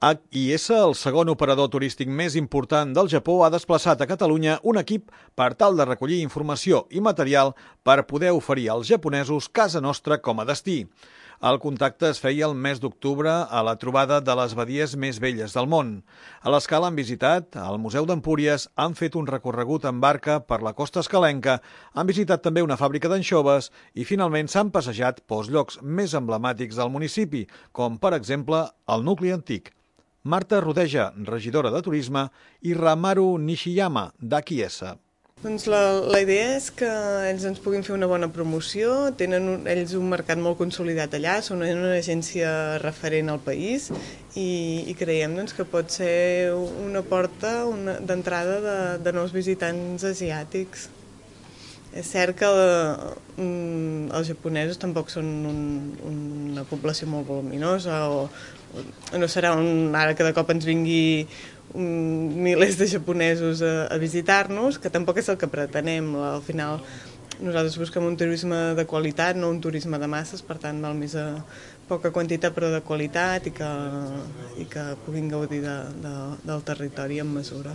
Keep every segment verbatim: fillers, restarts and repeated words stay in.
H I S, el segon operador turístic més important del Japó, ha desplaçat a Catalunya un equip per tal de recollir informació i material per poder oferir als japonesos casa nostra com a destí. El contacte es feia el mes d'octubre a la trobada de les badies més velles del món. A l'Escala han visitat el Museu d'Empúries, han fet un recorregut en barca per la costa escalenca, han visitat també una fàbrica d'anxoves i finalment s'han passejat pels llocs més emblemàtics del municipi, com per exemple el nucli antic. Marta Rodeja, regidora de Turisme, i Ramaru Nishiyama, d'H I S. Doncs la, la idea és que ells ens puguin fer una bona promoció, tenen un, ells un mercat molt consolidat allà, són una agència referent al país i, i creiem doncs, que pot ser una porta d'entrada de, de nous visitants asiàtics. És cert que um, els japonesos tampoc són un, una població molt voluminosa o, o no serà un, ara que de cop ens vingui um, milers de japonesos a, a visitar-nos, que tampoc és el que pretenem. Al final nosaltres busquem un turisme de qualitat, no un turisme de masses, per tant val més a poca quantitat però de qualitat i que, i que puguin gaudir de, de, del territori en mesura.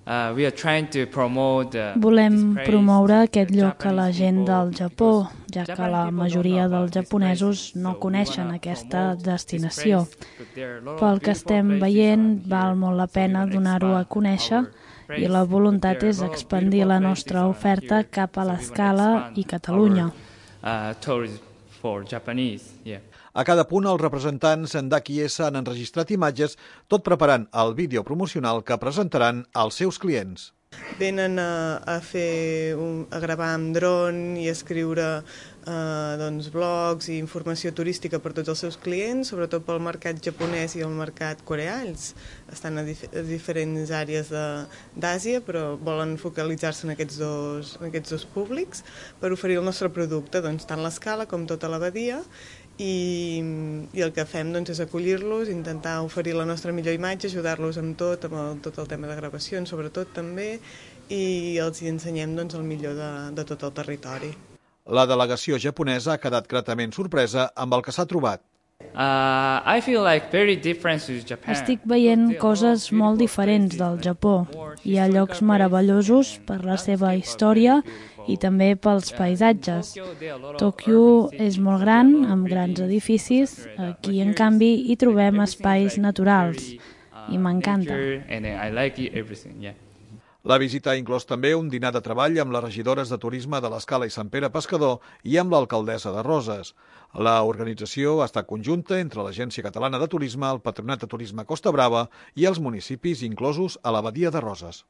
Uh, we are trying to promote the, Volem promoure aquest lloc a la gent del Japó, ja que la majoria dels japonesos no coneixen aquesta destinació. Pel que estem veient, val molt la pena donar-ho a conèixer i la voluntat és expandir la nostra oferta cap a l'Escala i Catalunya. A cada punt, els representants d'H I S han enregistrat imatges, tot preparant el vídeo promocional que presentaran als seus clients. Venen a, a, fer un, a gravar amb dron i a escriure eh, doncs, blogs i informació turística per tots els seus clients, sobretot pel mercat japonès i el mercat coreà. Ells estan a, dif a diferents àrees d'Àsia, però volen focalitzar-se en, aquests dos, en aquests dos públics per oferir el nostre producte, doncs, tant l'Escala com tota la badia. I, i el que fem doncs, és acollir-los, intentar oferir la nostra millor imatge, ajudar-los amb tot, amb el, tot el tema de gravacions, sobretot també, i els hi ensenyem doncs, el millor de, de tot el territori. La delegació japonesa ha quedat gratament sorpresa amb el que s'ha trobat. Uh, I feel like very different to Japan. Estic veient coses molt diferents del Japó. Hi ha llocs meravellosos per la seva història i també pels paisatges. Tòquio és molt gran, amb grans edificis. Aquí, en canvi, hi trobem espais naturals i m'encanta. La visita ha inclòs també un dinar de treball amb les regidores de turisme de l'Escala i Sant Pere Pescador i amb l'alcaldessa de Roses. La organització ha estat conjunta entre l'Agència Catalana de Turisme, el Patronat de Turisme Costa Brava i els municipis inclosos a la Badia de Roses.